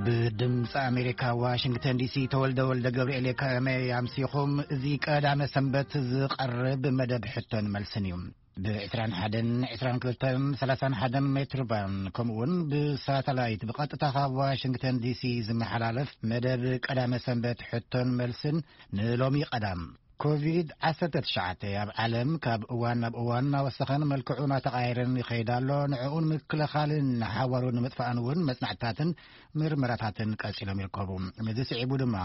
ብድምፂ ኣሜሪካ ዋሽንግተን ዲሲ ተወልደ ወልደ ገብርኤል የከመይ ኣምሲኹም። እዚ ቀዳመ ሰንበት ዝቐርብ መደብ ሕቶን መልስን እዩ። ብ ዕስራን ሓደን ዕስራን ክልተን ሰላሳን ሓደን ሜትር ባንድ ከምኡ እውን ብሳተላይት ብቐጥታ ካብ ዋሽንግተን ዲሲ ዝመሓላለፍ መደብ ቀዳመ ሰንበት ሕቶን መልስን ንሎሚ ቀዳም ኮቪድ ዓሰርተ ትሽዓተ ኣብ ዓለም ካብ እዋን ናብ እዋን እናወሰኸን መልክዑ እናተቓየረን ይኸይድ ኣሎ። ንዕኡ ንምክልኻልን ንሓዋሩ ንምጥፋእን እውን መጽናዕትታትን ምርመራታትን ቀጺሎም ይርከቡ። ነዚ ስዒቡ ድማ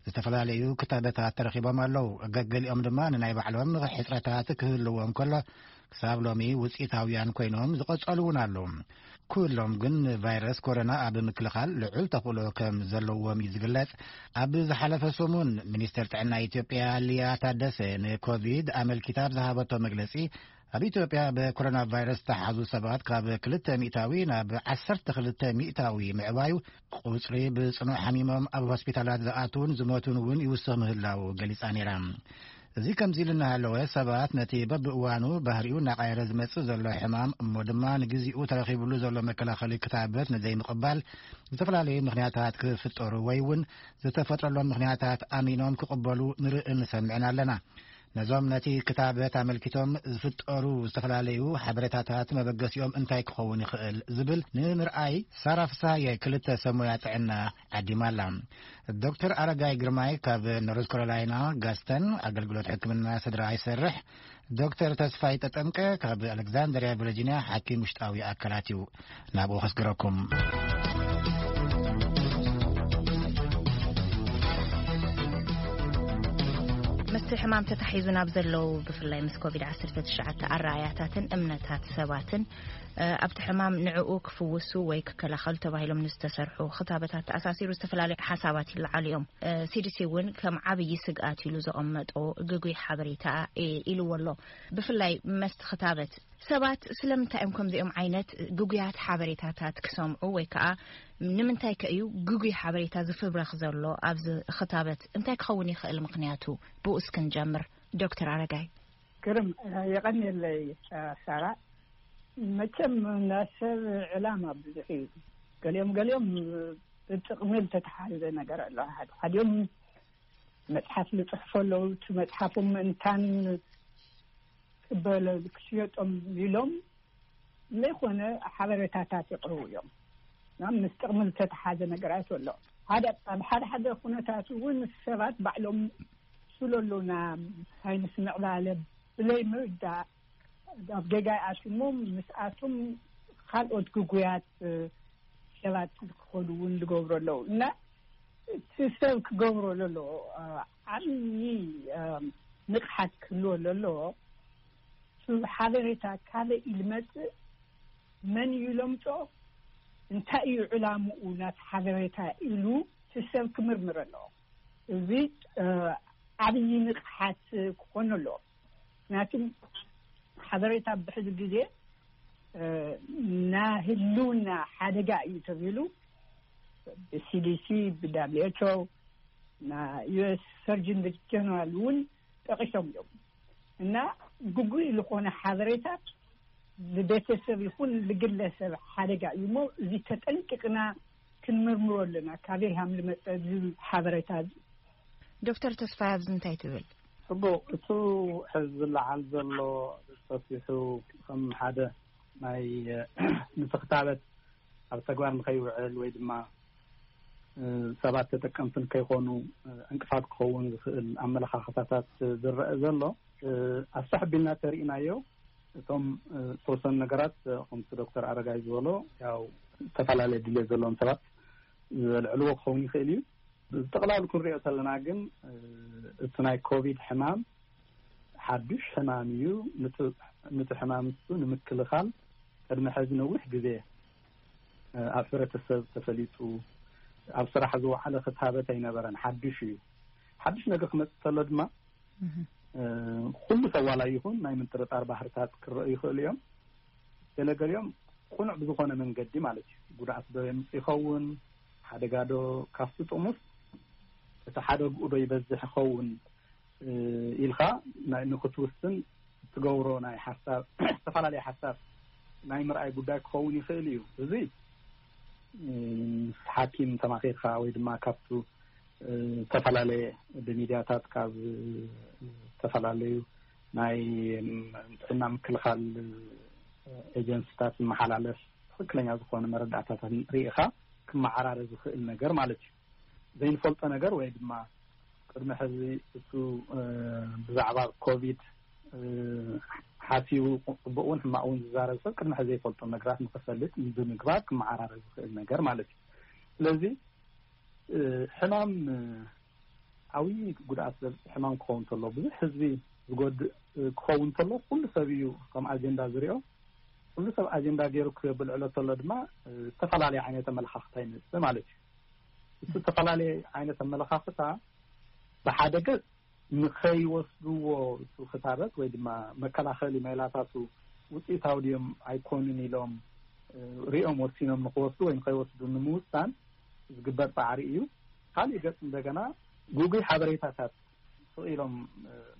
ዝተፈላለዩ ክታበታት ተረኺቦም ኣለዉ። ገገሊኦም ድማ ንናይ ባዕሎም ሕጽረታት ክህልዎ እንከሎ ክሳብ ሎሚ ውጽኢታውያን ኮይኖም ዝቐጸሉ እውን ኣለዉ። ኩሎም ግን ንቫይረስ ኮሮና ኣብ ምክልኻል ልዑል ተኽእሎ ከም ዘለዎም እዩ ዝግለጽ። ኣብ ዝሓለፈ ሰሙን ሚኒስተር ጥዕና ኢትዮጵያ ሊያ ታደሰ ንኮቪድ ኣመልኪታ ኣብ ዝሃበቶ መግለጺ ኣብ ኢትዮጵያ ብኮሮና ቫይረስ ዝተሓዙ ሰባት ካብ ክልተ ሚእታዊ ናብ ዓሰርተ ክልተ ሚእታዊ ምዕባዩ ቁጽሪ ብጽኑዕ ሓሚሞም ኣብ ሆስፒታላት ዝኣትውን ዝሞቱን እውን ይውስኽ ምህላው ገሊጻ ነይራ። እዚ ከምዚ ኢሉ እናሃለወ ሰባት ነቲ በብእዋኑ ባህሪኡ እናቐየረ ዝመጽእ ዘሎ ሕማም እሞ ድማ ንግዚኡ ተረኺብሉ ዘሎ መከላኸሊ ክታበት ንዘይምቕባል ዝተፈላለዩ ምኽንያታት ክፍጠሩ ወይ እውን ዝተፈጥረሎም ምኽንያታት ኣሚኖም ክቕበሉ ንርእን ንሰምዕን ኣለና። ነዞም ነቲ ክታበት ኣመልኪቶም ዝፍጠሩ ዝተፈላለዩ ሓበሬታታት መበገሲኦም እንታይ ክኸውን ይኽእል ዝብል ንምርኣይ ሳራ ፍስሃየ ክልተ ሰብ ሞያ ጥዕና ዓዲማ ኣላ። ዶክተር ኣረጋይ ግርማይ ካብ ኖርዝ ካሮላይና ጋስተን ኣገልግሎት ሕክምና ስድራ ይሰርሕ። ዶክተር ተስፋይ ተጠምቀ ካብ ኣሌክዛንድርያ ቨርጂንያ ሓኪም ውሽጣዊ ኣካላት እዩ። ናብኡ ከስግረኩም። ምስቲ ሕማም ተታሒዙ ናብ ዘለዉ ብፍላይ ምስ ኮቪድ ዓሰርተ ትሽዓተ ኣረኣያታትን እምነታት ሰባትን ኣብቲ ሕማም ንዕኡ ክፍውሱ ወይ ክከላኸሉ ተባሂሎም ንዝተሰርሑ ክታበታት ተኣሳሲሩ ዝተፈላለዩ ሓሳባት ይለዓሉ እዮም። ሲዲሲ እውን ከም ዓብዪ ስግኣት ኢሉ ዘቐመጦ ግጉይ ሓበሬታ ኢልዎ ኣሎ። ብፍላይ መስቲ ክታበት ሰባት ስለምንታይ እዮም ከምዚኦም ዓይነት ግጉያት ሓበሬታታት ክሰምዑ ወይ ከዓ ንምንታይ ከ እዩ ግጉይ ሓበሬታ ዝፍብረኽ ዘሎ ኣብዚ ክታበት እንታይ ክኸውን ይኽእል? ምኽንያቱ ብኡ እስክንጀምር ዶክተር ኣረጋይ። ግርም፣ የቐንየለይ ሳራ። መቸም ናይ ሰብ ዕላማ ብዙሕ እዩ። ገሊኦም ገሊኦም ብጥቕሚ ዝተተሓዘ ነገር ኣሎ። ሓደ ሓዲኦም መፅሓፍ ዝፅሕፉ ኣለዉ። እቲ መፅሓፎም ምእንታን ክበለ ክሽየጦም ኢሎም ዘይኮነ ሓበሬታታት ይቕርቡ እዮም። ናብ ምስ ጥቕሚ ዝተተሓዘ ነገራት ኣሎ። ሓደ ኣብ ሓደ ሓደ ኩነታት እውን ሰባት ባዕሎም ስለሎና ሳይንስ ምዕባለ ብለይ ምርዳእ ኣብ ጌጋ ይኣትሞ ምስኣቶም ካልኦት ግጉያት ሰባት ክኾኑ እውን ዝገብሩ ኣለዉ እና እቲ ሰብ ክገብሮ ለሎ ዓብዪ ንቕሓት ክህልዎ ለሎ ሓበሬታ ካበይ እዩ ዝመፅእ፣ መን እዩ ለምፆ፣ እንታይ እዩ ዕላምኡ ናት ሓበሬታ ኢሉ እቲ ሰብ ክምርምር ኣለዎ። እዚ ዓብዪ ንቕሓት ክኾኑ ኣለዎ። ምክንያቱም ሓበሬታ ብሕዚ ግዜ ናህልውና ሓደጋ እዩ ተብሂሉ ብሲዲሲ ብዳብሊውኤችኦ ና ዩኤስ ሰርጅን ጀነራል እውን ጠቂሶም እዮም እና ግጉይ ዝኾነ ሓበሬታት ንቤተሰብ ይኹን ንግለሰብ ሓደጋ እዩ እሞ እዚ ተጠንቂቕና ክንምርምሮ ኣለና። ካበይ ሃም ዝመፀ ዝብል ሓበሬታ እዚ። ዶክተር ተስፋይ ኣብዚ እንታይ ትብል? ጽቡቕ፣ እቱ ሕዚ ዝለዓል ዘሎ ሰፊሑ ከም ሓደ ናይ ንስኽታበት ኣብ ተግባር ንኸይውዕል ወይ ድማ ሰባት ተጠቀምቲ ንከይኾኑ ዕንቅፋት ክኸውን ዝኽእል ኣመለኻኽታታት ዝረአ ዘሎ ኣስፍሕ ኣቢልና ተሪእናዮ። እቶም ዝተወሰኑ ነገራት ከምቲ ዶክተር ኣረጋይ ዝበሎ ያው ዝተፈላለየ ድሌት ዘለዎም ሰባት ዘልዕልዎ ክኸውን ይኽእል እዩ። ብጠቕላሉ ክንሪኦ ከለና ግን እቲ ናይ ኮቪድ ሕማም ሓዱሽ ሕማም እዩ። ንቲ ሕማም እሱ ንምክልኻል ቅድሚ ሕዚ ነዊሕ ግዜ ኣብ ሕብረተሰብ ተፈሊጡ ኣብ ስራሕ ዝወዓለ ክታበት ኣይነበረን። ሓዱሽ እዩ። ሓዱሽ ነገር ክመፅእ ከሎ ድማ ኩሉ ሰብ ዋላ ይኹን ናይ ምጥርጣር ባህርታት ክረኡ ይኽእሉ እዮም። ገለገሊኦም ቁኑዕ ብዝኾነ መንገዲ ማለት እዩ። ጉድኣት ዶ የምፅእ ይኸውን፣ ሓደጋ ዶ ካብቲ ጥቕሙስ እቲ ሓደግኡ ዶ ይበዝሕ ይኸውን ኢልካ ንክትውስን ትገብሮ ናይ ሓሳብ ዝተፈላለየ ሓሳብ ናይ ምርኣይ ጉዳይ ክኸውን ይኽእል እዩ። እዚ ምስ ሓኪም ተማኺርካ ወይ ድማ ካብቱ ዝተፈላለየ ብሚድያታት ካብ ዝተፈላለዩ ናይ ጥዕና ምክልኻል ኤጀንሲታት ዝመሓላለፍ ትኽክለኛ ዝኾነ መረዳእታታት ርኢኻ ክመዓራረ ዝኽእል ነገር ማለት እዩ። ዘይንፈልጦ ነገር ወይ ድማ ቅድሚ ሕዚ እሱ ብዛዕባ ኮቪድ ሓሲቡ ፅቡቅ እውን ሕማቅ እውን ዝዛረብ ሰብ ቅድሚ ሕዚ ዘይፈልጦ ነገራት ንክፈልጥ ብምግባር ክመዓራረ ዝኽእል ነገር ማለት እዩ። ስለዚ ሕማም ዓብዪ ጉድኣት ዘብፅሕ ሕማም ክኸውን እንተሎ፣ ብዙሕ ህዝቢ ዝጎድእ ክኸውን እንተሎ፣ ኩሉ ሰብ እዩ ከም ኣጀንዳ ዝሪኦ። ኩሉ ሰብ ኣጀንዳ ገይሩ ክብልዕሎ እንተሎ ድማ ዝተፈላለየ ዓይነት ኣመለኻኽታ ይመፅእ ማለት እዩ። እቲ ዝተፈላለየ ዓይነት ኣመለኻኽታ ብሓደ ገፅ ንኸይወስድዎ፣ እቲ ክታበት ወይ ድማ መከላኸሊ ሜላታቱ ውፅኢታዊ ድዮም ኣይኮኑን ኢሎም ሪኦም ወሲኖም ንክወስዱ ወይ ንኸይወስዱ ንምውሳን ዝግበር ፃዕሪ እዩ። ካሊእ ገፅ እንደገና ግጉይ ሓበሬታታት ስቕ ኢሎም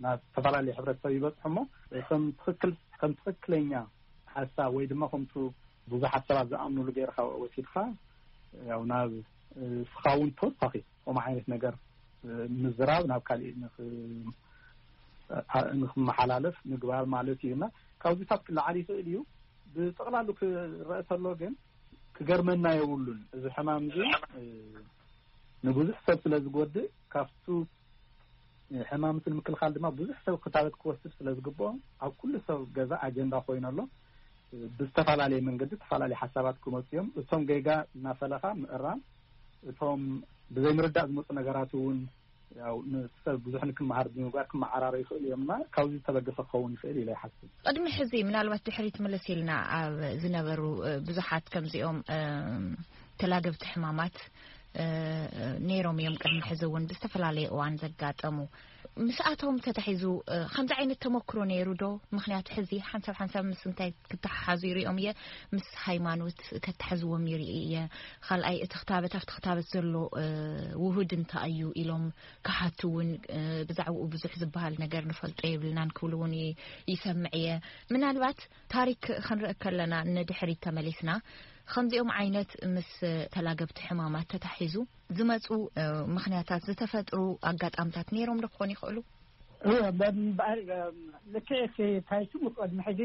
ናብ ዝተፈላለዩ ሕብረተሰብ ይበፅሑ እሞ ከም ትክክል ከም ትክክለኛ ሓሳብ ወይ ድማ ከምቱ ብዙሓት ሰባት ዝኣምኑሉ ገይርካ ወሲድካ፣ ያው ናብ ስኻ እውን ተወሳኺ ከምኡ ዓይነት ነገር ምዝራብ ናብ ካሊእ ንክ- ንክመሓላለፍ ምግባር ማለት እዩ። እና ካብዚታት ክለዓል ይኽእል እዩ። ብጠቕላሉ ክረአ ተሎ ግን ክገርመና የብሉን። እዚ ሕማም እዚ ንብዙሕ ሰብ ስለ ዝጎድእ፣ ካብቱ ሕማም እቲ ንምክልኻል ድማ ብዙሕ ሰብ ክታበት ክወስድ ስለ ዝግብኦ፣ ኣብ ኩሉ ሰብ ገዛ ኣጀንዳ ኮይኑ ኣሎ። ብዝተፈላለየ መንገዲ ዝተፈላለዩ ሓሳባት ክመፁ እዮም። እቶም ጌጋ እናፈለኻ ምእራም፣ እቶም ብዘይምርዳእ ዝመፁ ነገራት እውን ያው ንሰብ ብዙሕ ንክመሃር ብምግባር ክመዓራረ ይኽእሉ እዮም። እና ካብዚ ዝተበገሰ ክኸውን ይኽእል ኢለ ይሓስብ። ቅድሚ ሕዚ ምናልባት ድሕሪት መለስ ኢልና ኣብ ዝነበሩ ብዙሓት ከምዚኦም ተላገብቲ ሕማማት ነይሮም እዮም። ቅድሚ ሕዚ እውን ብዝተፈላለየ እዋን ዘጋጠሙ ምስኣቶም ተታሒዙ ከምዚ ዓይነት ተመክሮ ነይሩ ዶ? ምክንያቱ ሕዚ ሓንሳብ ሓንሳብ ምስ እንታይ ክተሓሓዙ ይሪኦም እየ፣ ምስ ሃይማኖት ከተሓዝዎም ይርኢ እየ። ካልኣይ እቲ ክታበት ኣብቲ ክታበት ዘሎ ውሁድ እንታይ እዩ ኢሎም ክሓቱ እውን ብዛዕባኡ ብዙሕ ዝበሃል ነገር ንፈልጦ የብልናን ክብሉ እውን ይሰምዕ እየ። ምናልባት ታሪክ ክንርኢ ከለና ንድሕሪት ተመሊስና ከምዚኦም ዓይነት ምስ ተላገብቲ ሕማማት ተታሒዙ ዝመፁ ምክንያታት ዝተፈጥሩ ኣጋጣምታት ነይሮም ዶ ክኾኑ ይኽእሉ? እወ፣ በምበኣር ልክዕ እቲ ታይቱ ቅድሚ ሕዚ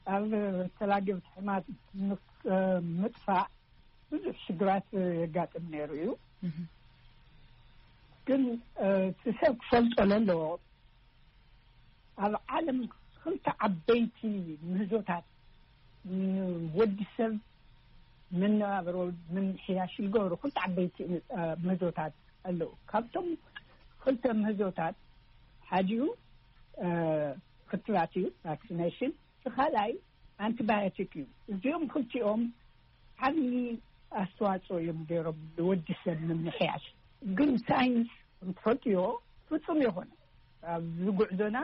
ኣብ ተላገብቲ ሕማት ምጥፋእ ብዙሕ ሽግራት የጋጥም ነይሩ እዩ። ግን እቲ ሰብ ክፈልጦ ለለዎ ኣብ ዓለም ክልተ ዓበይቲ ምህዞታት ንወዲ ሰብ መነባብሮ ምምሕያሽ ዝገብሩ ክልተ ዓበይቲ ምህዞታት ኣለዉ። ካብቶም ክልተ ምህዞታት ሓዲኡ ክትባት እዩ፣ ቫክሲኔሽን፣ እቲ ካልኣይ ኣንቲባዮቲክ እዩ። እዚኦም ክልቲኦም ዓብዪ ኣስተዋፅኦ እዮም ገይሮም ንወዲ ሰብ ምምሕያሽ። ግን ሳይንስ እንትፈልጥዮ ፍፁም የኾነ ኣብዚ ጉዕዞና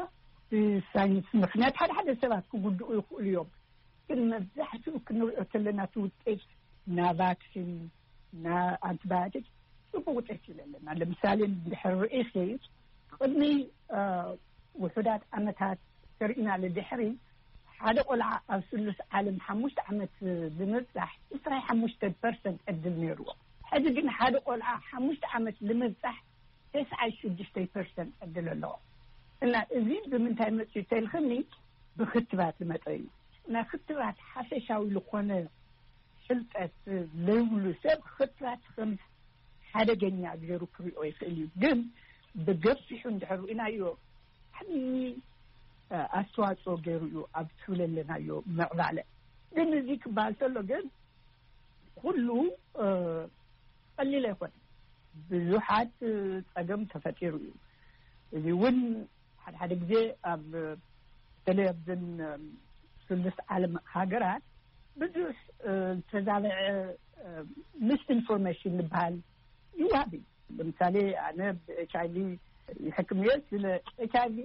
ብሳይንስ ምክንያት ሓደ ሓደ ሰባት ክጉድኡ ይኽእሉ እዮም። ግን መብዛሕትኡ ክንሪኦ ከለና እቲ ውጤት ና ቫክሲን ና ኣንቲባዮቲክ ፅቡቅ ውጤት ይለለና። ለምሳሌ እንድሕር ርኢኺ ቅድሚ ውሑዳት ዓመታት ተርእና ልድሕሪ ሓደ ቆልዓ ኣብ ስሉስ ዓለም ሓሙሽተ ዓመት ብምብፃሕ ዕስራይ ሓሙሽተ ፐርሰንት ዕድል ነይርዎ። ሕዚ ግን ሓደ ቆልዓ ሓሙሽተ ዓመት ንምብፃሕ ተስዓይ ሽዱሽተ ፐርሰንት ዕድል ኣለዎ። እና እዚ ብምንታይ መፅዩ ተልክኒ ብክትባት ዝመፀ እዩ። እና ክትባት ሓፈሻዊ ዝኾነ ፍልጠት ዘይብሉ ሰብ ክትባት ከም ሓደገኛ ገይሩ ክሪኦ ይኽእል እዩ። ግን ብገፊሑ እንድሕር ርኢናዮ ዓብዪ ኣስተዋፅኦ ገይሩ እዩ ኣብ ትብለለናዮ ምዕባለ። ግን እዚ ክበሃል ተሎ ግን ኩሉ ቀሊል ኣይኮነ። ብዙሓት ፀገም ተፈጢሩ እዩ። እዚ እውን ሓደ ሓደ ግዜ ኣብ በተለይ ኣብዘን ስሉስ ዓለም ሃገራት ብዙሕ ዝተዛበዐ ሚስ ኢንፎርሜሽን ዝበሃል ይወሃብ እዩ። ለምሳሌ ኣነ ብኤች ኣይቪ ይሕክም እየ። ስለ ኤች ኣይቪ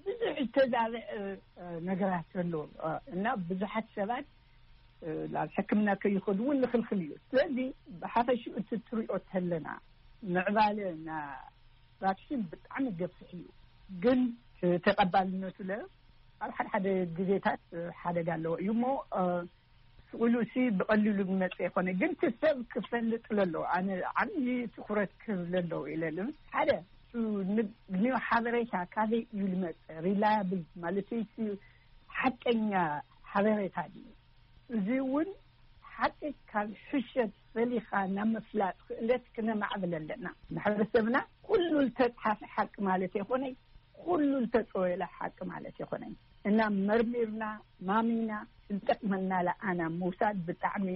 ብዙሕ ዝተዛበዐ ነገራት ኣሎ እና ብዙሓት ሰባት ናብ ሕክምና ከይኸዱ እውን ንክልክል እዩ። ስለዚ ብሓፈሽኡ እቲ ትሪኦ ተለና ምዕባለ ና ቫክሲን ብጣዕሚ ገፍሕ እዩ። ግን ተቐባልነቱ ለ ኣብ ሓደ ሓደ ግዜታት ሓደጋ ኣለዎ እዩ እሞ ውሉሲ ብቐሊሉ ዝመጽእ ይኮነ፣ ግን እቲ ሰብ ክፈልጥ ለለዎ። ኣነ ዓብዪ ትኹረት ክህብ ለለዎ ኢለ ልብል። ሓደ፣ ኒው ሓበሬታ ካበይ እዩ ዝመጽእ? ሪላያብል ማለት እዩ፣ ሓቀኛ ሓበሬታ ድዩ? እዚ እውን ሓቂ ካብ ሕሸት ፈሊኻ ናብ ምፍላጥ ክእለት ክነማዕብል ኣለና። ማሕበረሰብና ኩሉ ዝተፅሓፈ ሓቂ ማለት ይኾነይ፣ ኩሉ ዝተፀወለ ሓቂ ማለት ይኾነይ እና መርሚርና ማሚና ዝጠቅመና ለኣና ምውሳድ ብጣዕሚ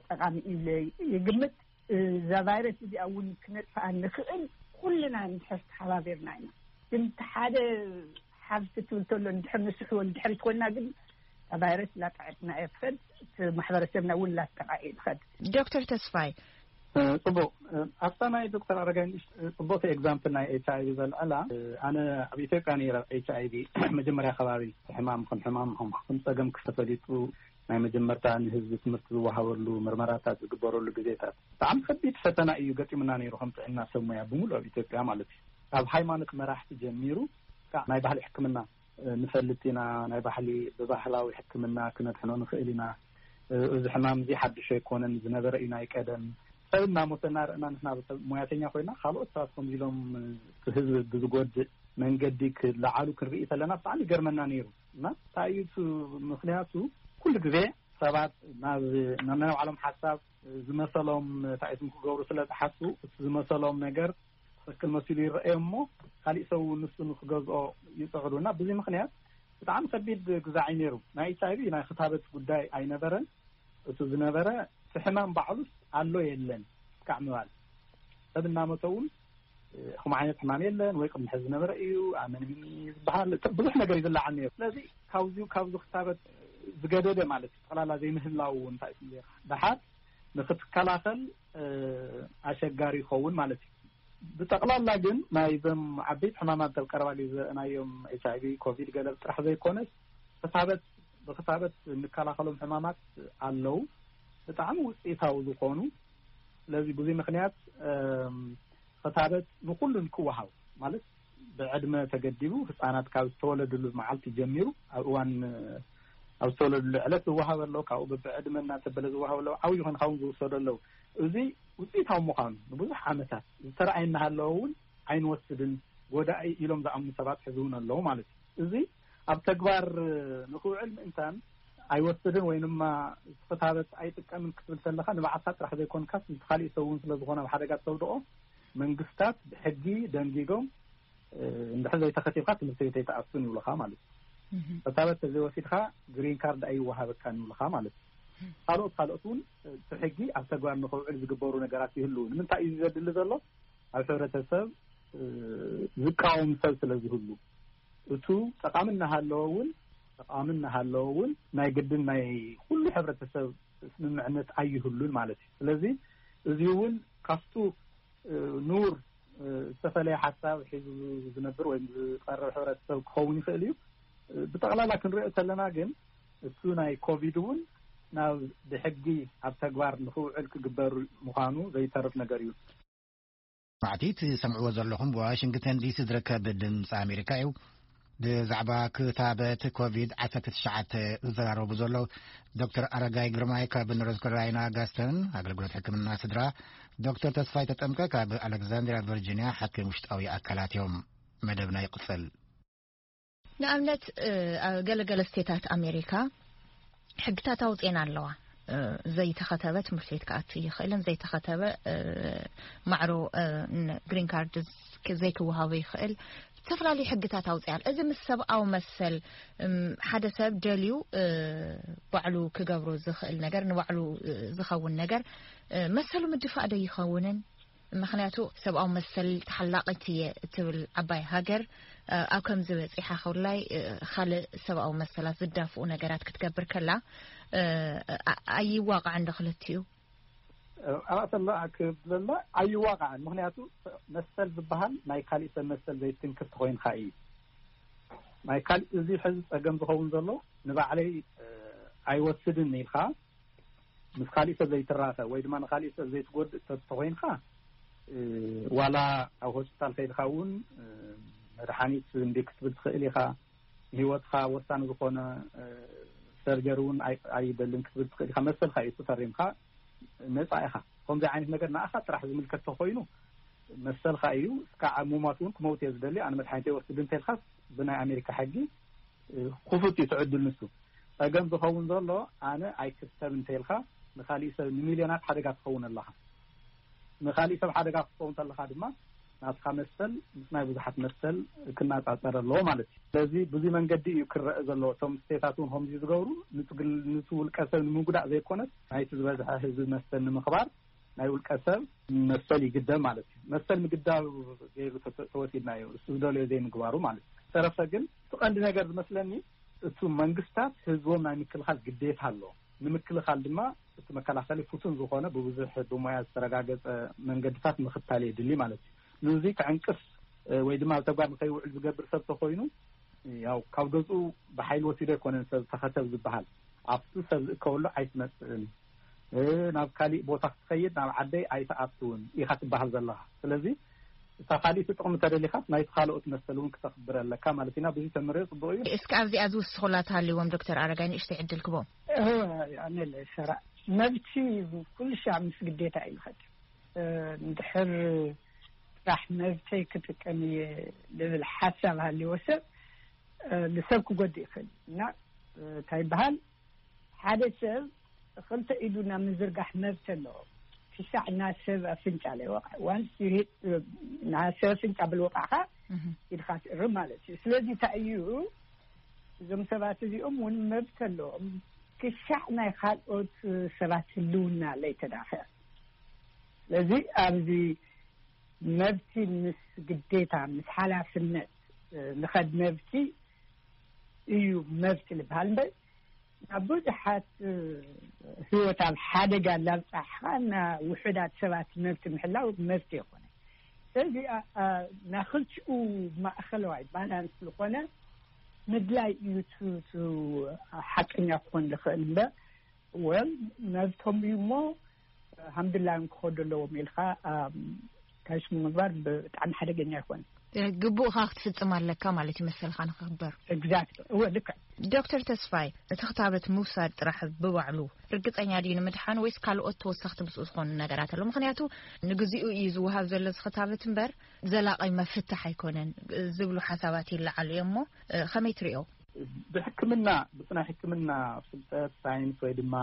ጠቃሚ እዩ ይግምት። እዛ ቫይረስ እዚኣ እውን ክነጥፍኣ ንኽእል ኩልና እንድሕር ተሓባቢርና ኢና። ግን እቲ ሓደ ሓብቲ ትብል ተሎ እንድሕር ንስሕቦ እንድሕር ትኮና ግን እታ ቫይረስ ላጣዐትና እየ ትኸድ፣ እቲ ማሕበረሰብና እውን ላጣቃ እዩ ትኸድ። ዶክተር ተስፋይ፣ ጽቡቅ። ኣብታ ናይ ዶክተር ኣረጋይ ንእሽ ጽቡቅቲ ኤግዛምፕል ናይ ኤች ኣይቪ ዘልዕላ፣ ኣነ ኣብ ኢትዮጵያ ነይረ። ኤች ኣይቪ መጀመርያ ከባቢ ሕማም ከም ሕማም ከም ከም ጸገም ክስተፈሊጡ ናይ መጀመርታ ንህዝቢ ትምህርቲ ዝወሃበሉ ምርመራታት ዝግበረሉ ግዜታት ብጣዕሚ ከቢድ ፈተና እዩ ገጢሙና ነይሩ ከም ጥዕና ሰብ ሙያ ብምሉእ ኣብ ኢትዮጵያ ማለት እዩ። ካብ ሃይማኖት መራሕቲ ጀሚሩ ክሳዕ ናይ ባህሊ ሕክምና ንፈልጥ ኢና። ናይ ባህሊ ብባህላዊ ሕክምና ክነድሕኖ ንኽእል ኢና። እዚ ሕማም እዚ ሓድሽ ኣይኮነን፣ ዝነበረ እዩ ናይ ቀደም። ሰብ እናሞተ እናረእና ንሕና ሙያተኛ ኮይና ካልኦት ሰባት ከምዚ ኢሎም ህዝቢ ብዝጎድእ መንገዲ ክለዓሉ ክንርኢ ከለና ብጣዕሚ ይገርመና ነይሩ እና እንታይ እዩ እቲ ምክንያቱ? ኩሉ ግዜ ሰባት ናብ ናብ ናይ ባዕሎም ሓሳብ ዝመሰሎም ታይስም ክገብሩ ስለ ዝሓስቡ እቲ ዝመሰሎም ነገር ትክክል መሲሉ ይረኣዮ እሞ ካሊእ ሰብ እውን ንሱ ንክገዝኦ ይፅዕሩ እና ብዙ ምክንያት ብጣዕሚ ከቢድ ግዛዕ እዩ ነይሩ። ናይ ኤች ኣይቪ ናይ ክታበት ጉዳይ ኣይነበረን። እቱ ዝነበረ እቲ ሕማም ባዕሉስ ኣሎ የለን እስካዕ ምባል ሰብ እናመተ እውን ከም ዓይነት ሕማም የለን ወይ ቅድሚ ሕዚ ዝነበረ እዩ ኣመንሚኒ ዝበሃል ብዙሕ ነገር ይዝለዓል ነይሩ። ስለዚ ካብዚ ካብዚ ክታበት ዝገደደ ማለት እዩ ጠቅላላ ዘይምህላው እውን እንታይ እዩ ደሓር ንክትከላኸል ኣሸጋሪ ይኸውን ማለት እዩ። ብጠቕላላ ግን ናይዞም ዓበይቲ ሕማማት ኣብ ቀረባ ግዜ ዘርአናዮም ኤች ኣይቪ ኮቪድ ገለ ጥራሕ ዘይኮነስ ክታበት ብክታበት እንከላኸሎም ሕማማት ኣለዉ ብጣዕሚ ውፅኢታዊ ዝኾኑ። ስለዚ ብዙ ምክንያት ክታበት ንኩሉን ክወሃብ ማለት ብዕድመ ተገዲቡ ህፃናት ካብ ዝተወለድሉ መዓልቲ ጀሚሩ ኣብ እዋን ኣብ ዝተወለድሉ ዕለት ዝወሃብ ኣሎ። ካብኡ በብዕድመ እናተበለ ዝወሃብ ኣሎ። ዓብዪ ኮንካ እውን ዝውሰዱ ኣለዉ። እዚ ውፅኢታዊ ምዃኑ ንብዙሕ ዓመታት ዝተረኣየ እናሃለወ እውን ኣይንወስድን ጎዳኢ ኢሎም ዝኣምኑ ሰባት ሕዚ እውን ኣለዉ ማለት እዩ። እዚ ኣብ ተግባር ንክውዕል ምእንታን ኣይወስድን ወይ ድማ ክታበት ኣይጥቀምን ክትብል ከለካ ንባዕልካ ጥራሕ ዘይኮንካስ ምስ ካሊእ ሰብ እውን ስለዝኮነ ኣብ ሓደጋ ተውድቆ መንግስታት ብሕጊ ደንጊጎም እንድሕር ዘይተኸቲብካ ትምህርቲ ቤት ኣይትኣቱን ይብሉካ ማለት እዩ። ክታበት ተዘይወሲድካ ግሪን ካርድ ኣይወሃበካን ይብሉካ ማለት እዩ። ካልኦት ካልኦት እውን እቲ ሕጊ ኣብ ተግባር ንክውዕል ዝግበሩ ነገራት ይህልው። ንምንታይ እዩ ዘድሊ ዘሎ? ኣብ ሕብረተሰብ ዝቃወም ሰብ ስለ ዝህሉ እቱ ጠቃሚ እናሃለወ እውን ጠቃሚ እናሃለወ እውን ናይ ግድን ናይ ኩሉ ሕብረተሰብ ስምምዕነት ኣይህሉን ማለት እዩ። ስለዚ እዚ እውን ካብቱ ንውር ዝተፈለየ ሓሳብ ሒዙ ዝነብር ወይ ዝቀርብ ሕብረተሰብ ክኸውን ይኽእል እዩ። ብጠቕላላ ክንሪኦ ከለና ግን እሱ ናይ ኮቪድ እውን ናብ ብሕጊ ኣብ ተግባር ንክውዕል ክግበር ምዃኑ ዘይተርፍ ነገር እዩ። ማዕቲ ትሰምዕዎ ዘለኹም ብዋሽንግተን ዲሲ ዝርከብ ድምፂ ኣሜሪካ እዩ። ብዛዕባ ክታበት ኮቪድ ዓሰርተ ትሽዓተ ዝዘራረቡ ዘለዉ ዶክተር ኣረጋይ ግርማይ ካብ ኖርዝ ካሮላይና ጋስተን ኣገልግሎት ሕክምና ስድራ፣ ዶክተር ተስፋይ ተጠምቀ ካብ ኣሌክዛንድሪያ ቨርጂኒያ ሓኪም ውሽጣዊ ኣካላት እዮም። መደብና ይቕጽል። ንኣብነት ገለገለ ስቴታት ኣሜሪካ ሕግታት ኣውፅኤን ኣለዋ። ዘይተኸተበ ትምህርቲ ቤት ክኣቱ ይኽእልን ዘይተኸተበ ማዕሮ ግሪን ካርድ ዘይክወሃቡ ይኽእል። ዝተፈላለዩ ሕግታት ኣውፅኣን። እዚ ምስ ሰብኣዊ መሰል ሓደ ሰብ ደልዩ ባዕሉ ክገብሮ ዝኽእል ነገር ንባዕሉ ዝኸውን ነገር መሰሉ ምድፋእ ዶ ይኸውንን? ምኽንያቱ ሰብኣዊ መሰል ተሓላቒት እየ እትብል ዓባይ ሃገር ኣብ ከምዚ በፂሓ ከውላይ ካልእ ሰብኣዊ መሰላት ዝዳፍኡ ነገራት ክትገብር ከላ ኣይዋቃዕን ዶ ክልቲኡ? ኣብኣ ተላ ክብለላ ኣይዋቃዕን። ምኽንያቱ መሰል ዝበሃል ናይ ካሊእ ሰብ መሰል ዘይትንክፍ ተኮይንካ እዩ። ናይ ካሊእ እዚ ሕዚ ፀገም ዝኸውን ዘሎ ንባዕለይ ኣይወስድን ኢልካ ምስ ካሊእ ሰብ ዘይትራኸ ወይ ድማ ንካሊእ ሰብ ዘይትጎድእ ሰብ ተኮይንካ ዋላ ኣብ ሆስፒታል ከይድካ እውን መድሓኒት እንዲ ክትብል ትኽእል ኢኻ። ንህይወትካ ወሳኒ ዝኾነ ሰርጀሪ እውን ኣይ- ኣይደልን ክትብል ትኽእል ኢኻ። መሰልካ እዩ፣ እሱ ፈሪምካ ነፃ ኢኻ። ከምዚ ዓይነት ነገር ንኣኻ ጥራሕ ዝምልከት ተኮይኑ መሰልካ እዩ። እስካዕ ሙማት እውን ክመውት እየ ዝደሊ፣ ኣነ መድሓኒት ይወስድ እንተልካስ ብናይ ኣሜሪካ ሕጊ ክፉት እዩ ትዕድል። ንሱ ጸገም ዝኸውን ዘሎ ኣነ ኣይክሰብ እንተልካ ንካሊእ ሰብ፣ ንሚልዮናት ሓደጋ ትኸውን ኣለኻ። ንካሊእ ሰብ ሓደጋ ክትኸውን ተለኻ ድማ ናትካ መሰል ምስ ናይ ብዙሓት መሰል ክነጻጸር ኣለዎ ማለት እዩ። ስለዚ ብዙ መንገዲ እዩ ክረአ ዘለዎ። እቶም ስቴታት እውን ከምዚ ዝገብሩ ንትግል- ንቲ ውልቀ ሰብ ንምጉዳእ ዘይኮነስ ናይቲ ዝበዝሐ ህዝቢ መሰል ንምኽባር ናይ ውልቀ ሰብ መሰል ይግደብ ማለት እዩ። መሰል ምግዳብ ገይሩ ተተ- ተወሲድናዮ፣ እሱ ዝደልዮ ዘይምግባሩ ማለት እዩ። ተረፈ ግን እቲ ቀንዲ ነገር ዝመስለኒ እቱ መንግስታት ህዝቦም ናይ ምክልኻል ግዴታ ኣሎ። ንምክልኻል ድማ እቲ መከላኸሊ ፍቱን ዝኾነ ብብዙሕ ብሞያ ዝተረጋገጸ መንገድታት ምኽታል የድሊ ማለት እዩ። ንዚ ክዕንቅፍ ወይ ድማ ኣብ ተግባር ንከይውዕል ዝገብር ሰብ ተኮይኑ ያው ካብ ገዝኡ ብሓይሊ ወሲዶ ኣይኮነን ሰብ ተኸተብ ዝበሃል። ኣብቲ ሰብ ዝእከበሉ ኣይትመፅእን፣ ናብ ካሊእ ቦታ ክትኸይድ ናብ ዓደይ ኣይትኣትውን ኢኻ ትበሃል ዘለኻ። ስለዚ እታ ካሊእ ጥቕሚ ተደሊኻስ ናይቲ ካልኦት መሰል እውን ክተኽብር ኣለካ ማለት ኢና። ብዙ ተምርዮ ፅቡቅ እዩ። እስኪ ኣብዚኣ ዝውስኹላ ተሃልዎም ዶክተር ኣረጋይ ንእሽተይ ዕድል ክቦም። ኣነ ሰራ መብቲ ኩሉ ሻዕ ምስ ግዴታ እዩ ዝኸድ። እንድሕር ጥራሕ መብተይ ክጥቀም እየ ዝብል ሓሳብ ሃልዎ ሰብ ንሰብ ክጎድእ ይኽእል እና እንታይ ይበሃል ሓደ ሰብ ክልተ ኢዱ ናብ ምዝርጋሕ መብት ኣለዎ። ክሻዕ ናብ ሰብ ኣፍንጫ ለይወቕዐ ዋንስ ናብ ሰብ ኣፍንጫ ብልወቕዕኻ ኢድካ ትእርም ማለት እዩ። ስለዚ እንታይ እዩ እዞም ሰባት እዚኦም እውን መብት ኣለዎም ክሻዕ ናይ ካልኦት ሰባት ህልውና ለይተዳኸ። ስለዚ ኣብዚ መብቲ ምስ ግዴታ ምስ ሓላፍነት ንኸድ መብቲ እዩ መብቲ ዝበሃል እምበር ናብ ብዙሓት ህይወት ኣብ ሓደጋ ላብፃሕኻ እና ውሑዳት ሰባት መብቲ ምሕላው መብቲ የኮነ። ስለዚ ናክልቲኡ ማእኸለዋይ ባላንስ ዝኾነ ምድላይ እዩ ሓቀኛ ክኾን ዝኽእል እምበር ወል መብቶም እዩ እሞ ሃምድላዮም ክኸዱ ኣለዎም ኢልካ ካሽሙ ምግባር ብጣዕሚ ሓደገኛ ይኮን። ግቡእካ ክትፍፅም ኣለካ ማለት እዩ መሰልካ ንክክበር። ኤግዛክት እወ ልክዕ። ዶክተር ተስፋይ እቲ ክታበት ምውሳድ ጥራሕ ብባዕሉ ርግፀኛ ድዩ ንምድሓን ወይስ ካልኦት ተወሰኽቲ ምስኡ ዝኾኑ ነገራት ኣሎ? ምክንያቱ ንግዚኡ እዩ ዝወሃብ ዘሎ እዚ ክታበት እምበር ዘላቂ መፍትሕ ኣይኮነን ዝብሉ ሓሳባት ይለዓሉ እዮም እሞ ከመይ ትሪኦ? ብሕክምና ብናይ ሕክምና ፍልጠት ሳይንስ ወይ ድማ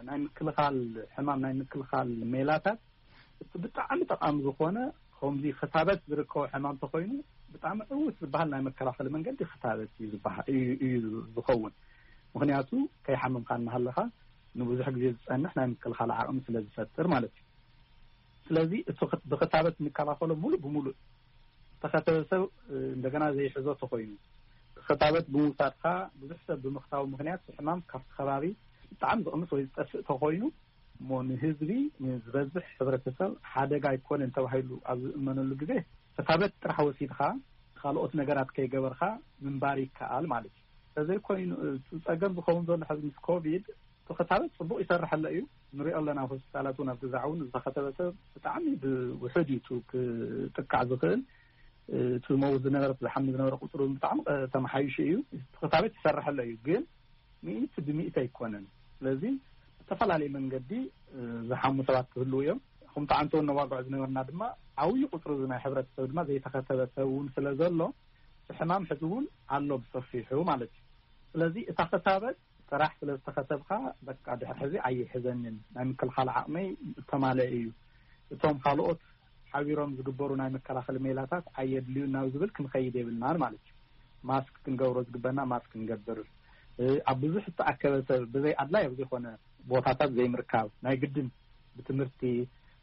ናይ ምክልኻል ሕማም ናይ ምክልኻል ሜላታት እቲ ብጣዕሚ ጠቃሚ ዝኾነ ከምዚ ክታበት ዝርከቦ ሕማም ተኮይኑ ብጣዕሚ ዕውት ዝበሃል ናይ መከላኸሊ መንገዲ ክታበት እዩ ዝበሃል እዩ ዝኸውን። ምክንያቱ ከይሓመምካ እናሃለካ ንብዙሕ ግዜ ዝፀንሕ ናይ ምክልኻል ዓቕሚ ስለ ዝፈጥር ማለት እዩ። ስለዚ እቲ ብክታበት እንከላኸሎ ሙሉእ ብሙሉእ ዝተኸተበ ሰብ እንደገና ዘይሕዞ ተኮይኑ ክታበት ብምውሳድካ ብዙሕ ሰብ ብምክታቡ ምክንያት ሕማም ካብቲ ከባቢ ብጣዕሚ ዝቕንስ ወይ ዝጠፍእ ተኮይኑ እሞ ንህዝቢ ንዝበዝሕ ሕብረተሰብ ሓደጋ ኣይኮነን ተባሂሉ ኣብ ዝእመነሉ ግዜ ክታበት ጥራሕ ወሲድካ ካልኦት ነገራት ከይገበርካ ምንባር ይከኣል ማለት እዩ። ተዘይኮይኑ እቲ ፀገም ዝኸውን ዘሎ ሕዚ ምስ ኮቪድ እቲ ክታበት ፅቡቅ ይሰርሕ ኣሎ እዩ ንሪኦ ኣለና። ሆስፒታላት እውን ኣብ ግዛዕ እውን ዝተኸተበ ሰብ ብጣዕሚ ብውሕድ እዩ ክጥቃዕ ዝኽእል። እቲ መውት ዝነበረ ዝሓሚ ዝነበረ ቁፅሩ ብጣዕሚ ተመሓይሹ እዩ። እቲ ክታበት ይሰርሕ ኣሎ እዩ ግን ሚእቲ ብሚእቲ ኣይኮነን። ስለዚ ብዝተፈላለየ መንገዲ ዝሓሙ ሰባት ክህልው እዮም። ከምቲ ዓንተውን ነዋግዖ ዝነበርና ድማ ዓብዪ ቁፅሪ ናይ ሕብረተሰብ ድማ ዘይተኸተበ ሰብ እውን ስለ ዘሎ ሕማም ሕዚ እውን ኣሎ ብሰፊሑ ማለት እዩ። ስለዚ እታ ክታበት ጥራሕ ስለ ዝተኸተብካ በቃ ድሕር ሕዚ ኣይሕዘንን ናይ ምክልኻል ዓቕመይ ተማለአ እዩ። እቶም ካልኦት ሓቢሮም ዝግበሩ ናይ መከላኸሊ ሜላታት ኣየድልዩ ናብ ዝብል ክንኸይድ የብልናን ማለት እዩ። ማስክ ክንገብሮ ዝግበና ማስክ ክንገብር፣ ኣብ ብዙሕ ዝተኣከበ ሰብ ብዘይ ኣድላይ ኣብ ዘይኮነ ቦታታት ዘይምርካብ ናይ ግድን ብትምህርቲ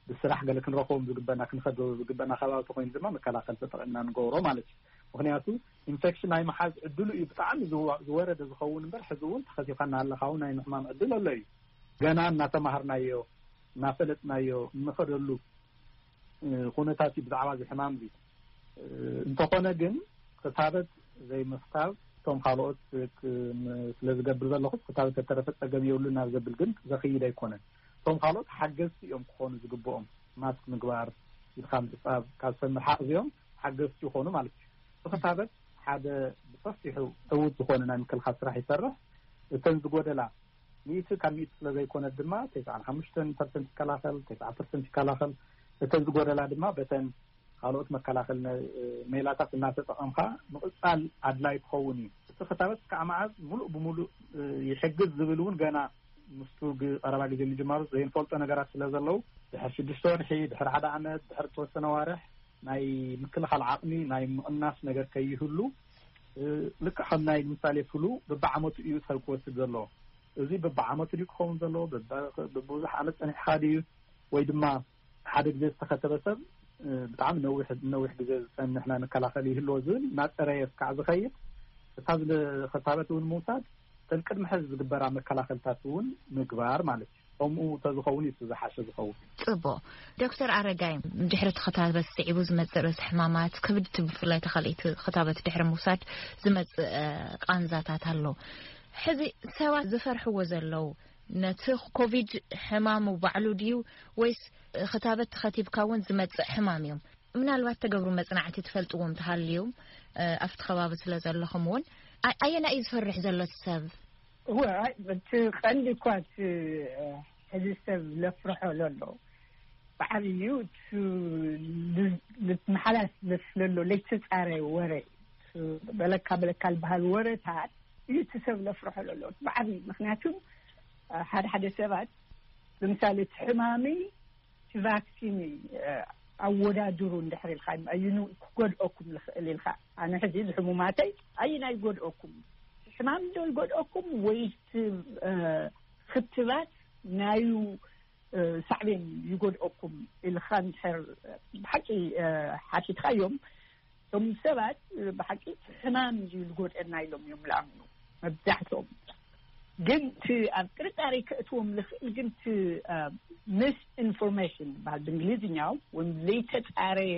ብስራሕ ገለ ክንረኽቦም ዝግበና ክንኸዶ ዝግበና ከባቢ ተኮይኑ ድማ መከላኸሊ ተጠቂምና ንገብሮ ማለት እዩ። ምክንያቱ ኢንፌክሽን ናይ መሓዝ ዕድሉ እዩ ብጣዕሚ ዝወረደ ዝኸውን እምበር ሕዚ እውን ተኸቲብካ እናሃለካ እውን ናይ ምሕማም ዕድል ኣሎ እዩ። ገና እናተማሃርናዮ እናፈለጥናዮ እንኸደሉ ኩነታት እዩ ብዛዕባ እዚ ሕማም እዚ። እንተኾነ ግን ክታበት ዘይምኽታብ እቶም ካልኦት ስለ ዝገብር ዘለኹ ክታበት ተተረፈ ፀገም የብሉ ናብ ዘብል ግን ዘኽይድ ኣይኮነን። እቶም ካልኦት ሓገዝቲ እዮም ክኾኑ ዝግብኦም። ማስክ ምግባር፣ ኢድካ ምሕፃብ ካብ ሰብ ምርሓቕ እዚኦም ሓገዝቲ ይኾኑ ማለት እዩ። ብክታበት ሓደ ብሰፊሑ ዕውት ዝኾነ ናይ ምክልኻል ስራሕ ይሰርሕ። እተን ዝጎደላ ሚእቲ ካብ ሚእቲ ስለ ዘይኮነት ድማ ተስዓን ሓሙሽተን ፐርሰንት ይከላኸል፣ ተስዓ ፐርሰንት ይከላኸል። እተን ዝጎደላ ድማ በተን ካልኦት መከላኸል ሜላታት እናተጠቐምካ ምቕፃል ኣድላይ ክኸውን እዩ። እቲ ክታበት ክሳዕ መዓዝ ሙሉእ ብሙሉእ ይሕግዝ ዝብል እውን ገና ምስቱ ቀረባ ግዜ ምጅማሩ ዘይንፈልጦ ነገራት ስለ ዘለዉ፣ ድሕር ሽዱሽተ ወርሒ፣ ድሕር ሓደ ዓመት፣ ድሕር ተወሰነ ዋርሕ ናይ ምክልኻል ዓቕሚ ናይ ምቕናስ ነገር ከይህሉ፣ ልክዕ ከም ናይ ምሳሌ ፍሉ በብዓመቱ እዩ ሰብ ክወስድ ዘለዎ። እዚ በብዓመቱ ድዩ ክኸውን ዘለዎ? በብዙሕ ዓመት ጸኒሕካ ድዩ? ወይ ድማ ሓደ ግዜ ዝተኸተበ ሰብ ብጣዕሚ ነዊሕ ነዊሕ ግዜ ዝጸንሕና መከላኸሊ ይህልዎ ዝብል እናጸረየ እስካዕ ዝኸይድ፣ እታ ዝኸታበት እውን ምውሳድ፣ እተን ቅድሚ ሕዚ ዝግበራ መከላኸልታት እውን ምግባር ማለት እዩ። ከምኡ ተዝኸውን እዩ ዝሓሸ ዝኸውን። ጽቡቕ። ዶክተር ኣረጋይ፣ ድሕሪ እቲ ክታበት ስዒቡ ዝመጽእ ርእሲ ሕማማት፣ ክብድቲ ብፍላይ ተኸልኢቲ ክታበት ድሕሪ ምውሳድ ዝመጽእ ቃንዛታት ኣሎ። ሕዚ ሰባት ዝፈርሕዎ ዘለዉ ነቲ ኮቪድ ሕማሙ ባዕሉ ድዩ ወይስ ክታበት ተኸቲብካ እውን ዝመጽእ ሕማም እዮም? ምናልባት ተገብሩ መጽናዕቲ ትፈልጥዎም ተሃልዩ ኣብቲ ከባቢ ስለ ዘለኹም እውን ኣየና እዩ ዝፈርሕ ዘሎ እቲ ሰብ? እወ፣ እቲ ቀንዲ እኳ እቲ ሕዚ ሰብ ለፍርሖ ዘሎ ብዓብዩ ልትመሓላልፍ ለሎ ለይተፃረየ ወረ፣ በለካ በለካ ዝበሃል ወረታት እዩ እቲ ሰብ ለፍርሖ ዘሎ ብዓብዩ። ምክንያቱ ሓደ ሓደ ሰባት ንምሳሌ እቲ ሕማሚ እቲ ቫክሲን ኣወዳድሩ እንድሕር ኢልካ እዩ ክጎድኦኩም ዝኽእል ኢልካ። ኣነ ሕዚ ዝሕሙማተይ ኣይና ይጎድኦኩም፣ ሕማም ዶ ይጎድኦኩም ወይስ ክትባት ናዩ ሳዕቤን ይጎድኦኩም ኢልካ እንድሕር ብሓቂ ሓቲትካዮም፣ እቶም ሰባት ብሓቂ ሕማም እዩ ዝጎድአና ኢሎም እዮም ዝኣምኑ መብዛሕትኦም። ግን እቲ ኣብ ጥርጣሬ ከእትዎም ዝኽእል ግን እቲ ምስ ኢንፎርሜሽን ዝበሃል ብእንግሊዝኛው ወይም ዘይተፃረየ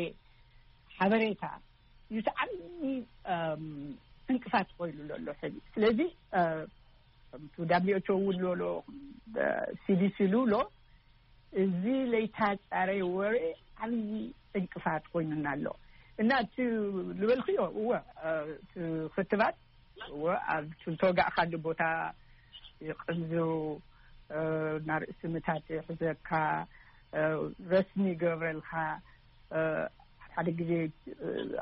ሓበሬታ እዩ እቲ ዓብዪ ዕንቅፋት ኮይኑ ዘሎ ሕዚ። ስለዚ ከምቲ ዳብሊው ኤች ኦ እውን ዝብሎ፣ ሲዲሲ ዝብሎ፣ እዚ ለይተፃረየ ወረ ዓብዪ ዕንቅፋት ኮይኑና ኣሎ። እና እቲ ዝበልክዮ እወ፣ እቲ ክትባት እወ ኣብቲ ዝተወጋእካሉ ቦታ ይቕንዝው፣ ናርእሲ ምታት ይሕዘካ፣ ረስኒ ይገብረልካ፣ ሓደ ግዜ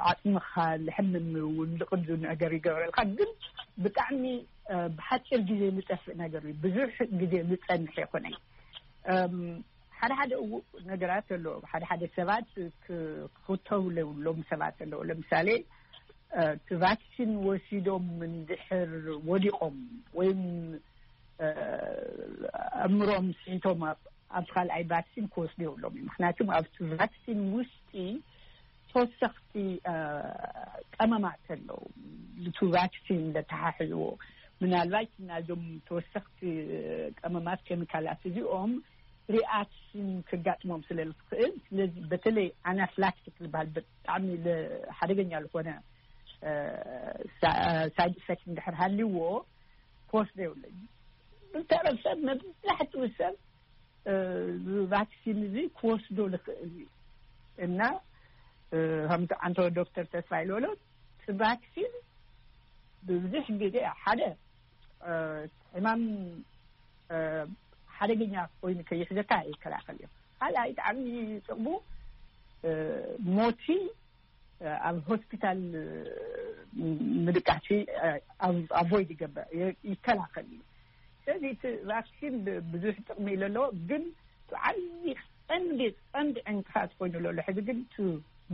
ዓፅምኻ ዝሕምም እውን ዝቕንዝው ነገር ይገብረልካ። ግን ብጣዕሚ ብሓፂር ግዜ ዝጠፍእ ነገር እዩ፣ ብዙሕ ግዜ ዝፀንሕ ኣይኮነን። ሓደ ሓደ እው ነገራት ኣለዎ። ሓደ ሓደ ሰባት ክኽተቡ ለብሎም ሰባት ኣለዎ። ለምሳሌ እቲ ቫክሲን ወሲዶም እንድሕር ወዲቖም ወይም ኣእምሮም ስሒቶም ኣብ ካልኣይ ቫክሲን ክወስዱ የብሎም እዩ። ምክንያቱም ኣብቲ ቫክሲን ውሽጢ ተወሰኽቲ ቀመማት ኣለዉ፣ እቲ ቫክሲን ዘተሓሕዝዎ። ምናልባት ናዞም ተወሰኽቲ ቀመማት ኬሚካላት እዚኦም ሪኣክሽን ክጋጥሞም ስለ ዝኽእል፣ ስለዚ በተለይ ኣናፍላክቲክ ዝበሃል ብጣዕሚ ሓደገኛ ዝኾነ ሳይድ ኢፌክት እንድሕር ሃልዎ ክወስዶ የብለይ። ብተረፈ መብዛሕትኡ ሰብ ቫክሲን እዚ ክወስዶ ዝኽእል እዩ። እና ከምቲ ዓንቶ ዶክተር ተስፋ ኢልበሎ፣ እቲ ቫክሲን ብብዙሕ ግዜ ሓደ ሕማም ሓደገኛ ኮይኑ ከይሕዘካ ይከላኸል እዩ። ካልኣይ ብጣዕሚ ጥቕሙ ሞቲ ኣብ ሆስፒታል ምድቃሲ ኣቮይድ ይገብር፣ ይከላኸል እዩ። ስለዚ እቲ ቫክሲን ብዙሕ ጥቕሚ ኢሉ ኣለዎ፣ ግን ዓብዪ ቀንዲ ቀንዲ ዕንቅፋት ኮይኑ ዘሎ ሕዚ ግን እቲ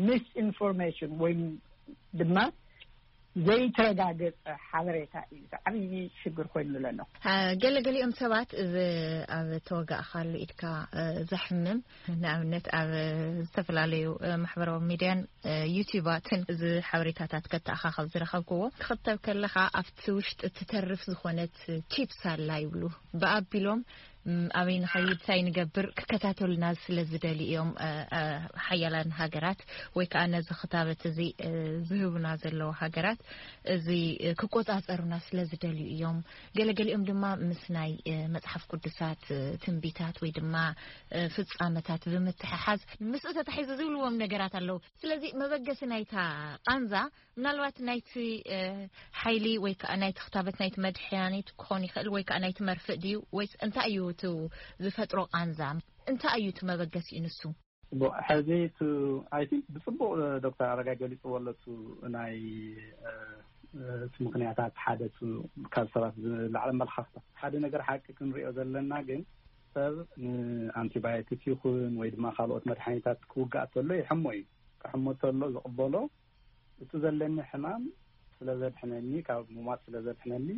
ሚስ ኢንፎርሜሽን ወይም ድማ ዘይተረጋገፀ ሓበሬታ እዩ ዓብዪ ሽግር ኮይኑ ዘሎ። ገለ ገሊኦም ሰባት እዚ ኣብ ተወጋእካሉ ኢድካ ዘሕምም፣ ንኣብነት ኣብ ዝተፈላለዩ ማሕበራዊ ሚድያን ዩቲዩባትን እዚ ሓበሬታታት ከተኣኻኸብ ዝረኸብክዎ፣ ክኽተብ ከለኻ ኣብቲ ውሽጢ ትተርፍ ዝኾነት ቺፕስ ኣላ ይብሉ። ብኣቢሎም ኣበይ ንኸይድ፣ እንታይ ንገብር ክከታተሉና ስለ ዝደልዩ እዮም። ሓያላን ሃገራት ወይ ከዓ ነዚ ክታበት እዚ ዝህቡና ዘለዉ ሃገራት እዚ ክቆፃፀሩና ስለ ዝደልዩ እዮም። ገለገሊኦም ድማ ምስ ናይ መፅሓፍ ቅዱሳት ትንቢታት ወይ ድማ ፍፃመታት ብምትሕሓዝ ምስኡ ተታሒዙ ዝብልዎም ነገራት ኣለዉ። ስለዚ መበገሲ ናይታ ቃንዛ ምናልባት ናይቲ ሓይሊ ወይ ከዓ ናይቲ ክታበት ናይቲ መድሓኒት ክኾን ይኽእል ወይ ከዓ ናይቲ መርፍእ ድዩ ወይስ እንታይ እዩ እቲ ዝፈጥሮ ቃንዛ? እንታይ እዩ እቲ መበገሲኡ ንሱ? ሕዚ እቲ ኣይ ቲንክ ብፅቡቕ ዶክተር ኣረጋይ ገሊፅዎ ኣሎ። እቲ ናይ እቲ ምክንያታት ሓደ እቲ ካብ ሰባት ዝለዓለ ኣመለኻኽታ ሓደ ነገር ሓቂ ክንሪኦ ዘለና ግን ሰብ ንኣንቲባዮቲክ ይኹን ወይ ድማ ካልኦት መድሓኒታት ክውጋእ ተሎ ይሕሞ እዩ። ክሕሞ ተሎ ዝቕበሎ እቲ ዘለኒ ሕማም ስለ ዘድሕነኒ ካብ ምሟት ስለ ዘድሕነኒ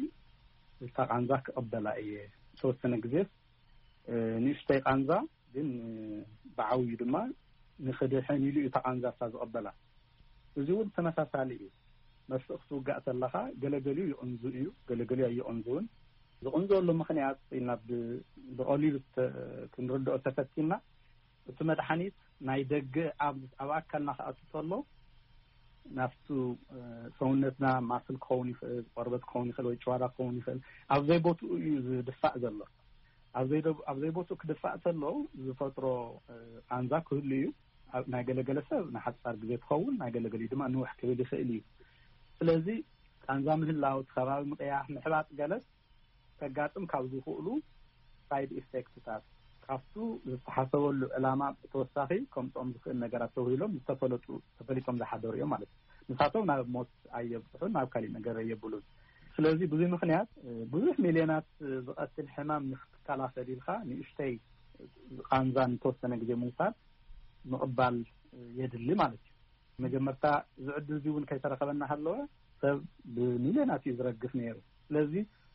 እታ ቃንዛ ክቕበላ እየ። ዝተወሰነ ግዜስ ንእሽተይ ቃንዛ ግን ብዓብዩ ድማ ንኽድሕን ኢሉ እዩ እታ ቃንዛ እታ ዝቕበላ። እዚ እውን ተመሳሳሊ እዩ። መርፍእ ክትውጋእ ተለኻ ገለገሊኡ ይቕንዙ እዩ፣ ገለገሊኡ ኣይቕንዙውን። ዝቕንዘሉ ምኽንያት ኢልና ብቐሊሉ ክንርድኦ ተፈቲና እቲ መድሓኒት ናይ ደገ ኣብ ኣካልና ክኣቱ ተሎ ናብቲ ሰውነትና ማስል ክኸውን ይኽእል፣ ቆርበት ክኸውን ይኽእል ወይ ጭዋዳ ክኸውን ይኽእል፣ ኣብ ዘይቦትኡ እዩ ዝድፋእ ዘሎ። ኣብ ዘይቦትኡ ክድፋእ ተሎ ዝፈጥሮ ቃንዛ ክህሉ እዩ። ናይ ገለገለ ሰብ ንሓፃር ግዜ ትኸውን፣ ናይ ገለገሊኡ ድማ ንውሕ ክብል ይኽእል እዩ። ስለዚ ቃንዛ ምህላው፣ እቲ ከባቢ ምቕያሕ፣ ምሕባጥ ገለስ ከጋጥም ካብ ዝኽእሉ ሳይድ ኢፌክትታት ካብቱ ዝተሓሰበሉ ዕላማ ብተወሳኺ ከምፅኦም ዝኽእል ነገራት ተውሂሎም ዝተፈለጡ ተፈሊጦም ዝሓደሩ እዮም ማለት እዩ። ንሳቶም ናብ ሞት ኣየብፅሑን ናብ ካሊእ ነገር ኣየብሉን። ስለዚ ብዙ ምክንያት ብዙሕ ሚልዮናት ዝቐትል ሕማም ንክትከላኸል ኢልካ ንእሽተይ ቃንዛ ንተወሰነ ግዜ ምውሳድ ምቕባል የድሊ ማለት እዩ። መጀመርታ እዚ ዕድል እዚ እውን ከይተረኸበና ሃለወ ሰብ ብሚልዮናት እዩ ዝረግፍ ነይሩ። ስለዚ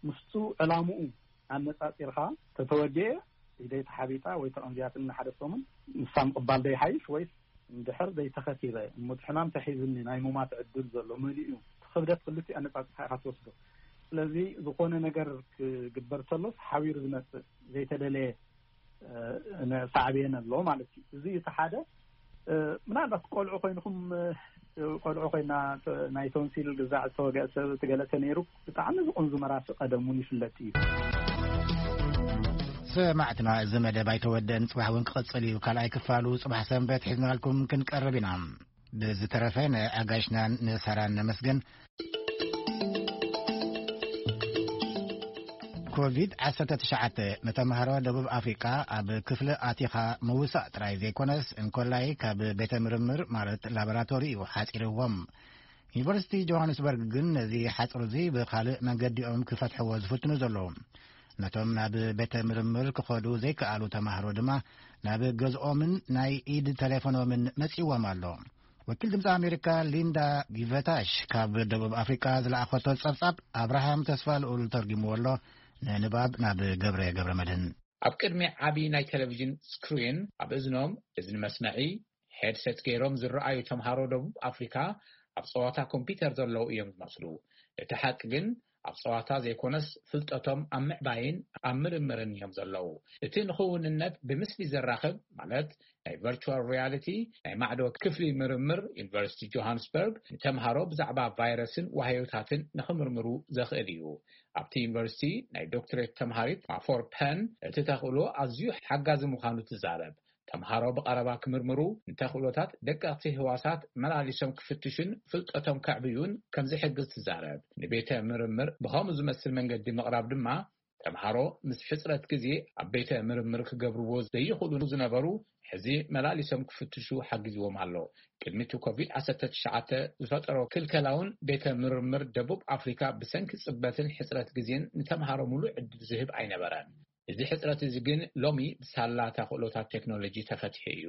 ምስቱ ዕላምኡ ኣነፃፂርካ ተተወዲኤ ኢደይ ተሓቢጣ ወይ ተቐንዚያትኒ ንሓደ ሰሙን ንሳ ምቕባል ዶ ይሓይሽ ወይስ እንድሕር ዘይተኸቲበ እሞ እቲ ሕማም ተሒዝኒ ናይ ሙማት ዕድል ዘሎ መሊኡ እዩ። እቲ ክብደት ክልቲኡ ኣነፃፂርካ ኢኻ ትወስዶ። ስለዚ ዝኾነ ነገር ክግበር ተሎስ ሓቢሩ ዝመፅእ ዘይተደለየ ሳዕቤን ኣሎ ማለት እዩ። እዚ እቲ ሓደ ምናልባት ቆልዑ ኮይንኩም ቆልዑ ኮይና ናይ ቶንሲል ግዛዕ ዝተወገአ ሰብ እቲ ገለ ተነይሩ ብጣዕሚ ዝቕንዙ መራሲ ቀደም እውን ይፍለጥ እዩ። ሰማዕትና፣ እዚ መደብ ኣይተወደን፣ ጽባሕ እውን ክቕጽል እዩ። ካልኣይ ክፋሉ ጽባሕ ሰንበት ሒዝናልኩም ክንቀርብ ኢና። ብዝተረፈ ንኣጋሽናን ንሳራን ነመስግን። ኮቪድ ዓሰርተ ትሽዓተ ንተምሃሮ ደቡብ ኣፍሪቃ ኣብ ክፍሊ ኣቲኻ ምውሳእ ጥራይ ዘይኮነስ እንኮላይ ካብ ቤተ ምርምር ማለት ላቦራቶሪ እዩ ሓጺርዎም። ዩኒቨርሲቲ ጆሃንስበርግ ግን ነዚ ሓጽር እዚ ብኻልእ መንገዲኦም ክፈትሕዎ ዝፍትኑ ዘለዉ። ነቶም ናብ ቤተ ምርምር ክኸዱ ዘይከኣሉ ተማሃሮ ድማ ናብ ገዝኦምን ናይ ኢድ ተሌፎኖምን መጺዎም ኣሎ። ወኪል ድምፂ ኣሜሪካ ሊንዳ ጊቨታሽ ካብ ደቡብ ኣፍሪቃ ዝለኣኸቶ ጸብጻብ ኣብርሃም ተስፋ ልኡል ተርጊምዎ ኣሎ። ንንባብ ናብ ገብረ ገብረ መድህን። ኣብ ቅድሚ ዓቢ ናይ ቴሌቪዥን ስክሪን ኣብ እዝኖም እዝኒ መስመዒ ሄድሰት ገይሮም ዝረኣዩ ተምሃሮ ደቡብ ኣፍሪካ ኣብ ጸዋታ ኮምፒተር ዘለዉ እዮም ዝመስሉ። እቲ ሓቂ ግን ኣብ ጸዋታ ዘይኮነስ ፍልጠቶም ኣብ ምዕባይን ኣብ ምርምርን እዮም ዘለዉ። እቲ ንኽውንነት ብምስሊ ዘራኽብ ማለት ናይ ቨርቹዋል ሪያሊቲ ናይ ማዕዶ ክፍሊ ምርምር ዩኒቨርሲቲ ጆሃንስበርግ ንተምሃሮ ብዛዕባ ቫይረስን ዋህዮታትን ንኽምርምሩ ዘኽእል እዩ። ኣብቲ ዩኒቨርሲቲ ናይ ዶክትሬት ተምሃሪት ማፎር ፐን እቲ ተኽእሎ ኣዝዩ ሓጋዚ ምዃኑ ትዛረብ። ተምሃሮ ብቐረባ ክምርምሩ ንተኽእሎታት ደቀቕቲ ህዋሳት መላሊሶም ክፍትሹን ፍልጠቶም ከዕብዩን ከም ዝሕግዝ ትዛረብ። ንቤተ ምርምር ብኸምኡ ዝመስል መንገዲ ምቕራብ ድማ ተምሃሮ ምስ ሕጽረት ግዜ ኣብ ቤተ ምርምር ክገብርዎ ዘይኽእሉ ዝነበሩ ሕዚ መላሊሶም ክፍትሹ ሓጊዝዎም ኣሎ። ቅድሚ እቲ ኮቪድ ዓሰርተ ትሽዓተ ዝፈጠሮ ክልከላውን ቤተ ምርምር ደቡብ ኣፍሪካ ብሰንኪ ጽበትን ሕጽረት ግዜን ንተምሃሮ ሙሉእ ዕድል ዝህብ ኣይነበረን። እዚ ሕጽረት እዚ ግን ሎሚ ብሳላ ተኽእሎታት ቴክኖሎጂ ተፈቲሑ እዩ።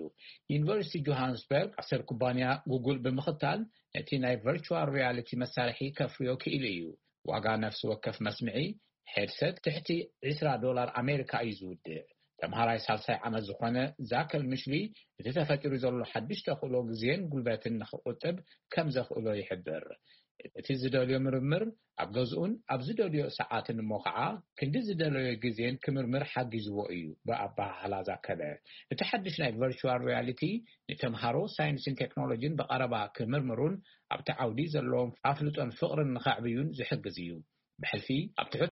ዩኒቨርሲቲ ጆሃንስበርግ ኣሰር ኩባንያ ጉጉል ብምኽታል ነቲ ናይ ቨርቹዋል ሪያሊቲ መሳርሒ ከፍርዮ ክኢሉ እዩ። ዋጋ ነፍሲ ወከፍ መስምዒ ሄድሰት ትሕቲ ዕስራ ዶላር ኣሜሪካ እዩ ዝውድእ። ተምሃራይ ሳልሳይ ዓመት ዝኾነ ዛከል ምሽሊ እቲ ተፈጢሩ ዘሎ ሓድሽ ተኽእሎ ግዜን ጉልበትን ንኽቁጥብ ከም ዘኽእሎ ይሕብር። እቲ ዝደልዮ ምርምር ኣብ ገዝኡን ኣብ ዝደልዮ ሰዓትን እሞ ከዓ ክንዲ ዝደለዮ ግዜን ክምርምር ሓጊዝዎ እዩ። ብኣበሃህላ ዛከበ፣ እቲ ሓድሽ ናይ ቨርቹዋል ሪያሊቲ ንተምሃሮ ሳይንስን ቴክኖሎጂን ብቐረባ ክምርምሩን ኣብቲ ዓውዲ ዘለዎም ኣፍልጦን ፍቕርን ንኸዕብዩን ዝሕግዝ እዩ። ብሕልፊ ኣብ ትሑት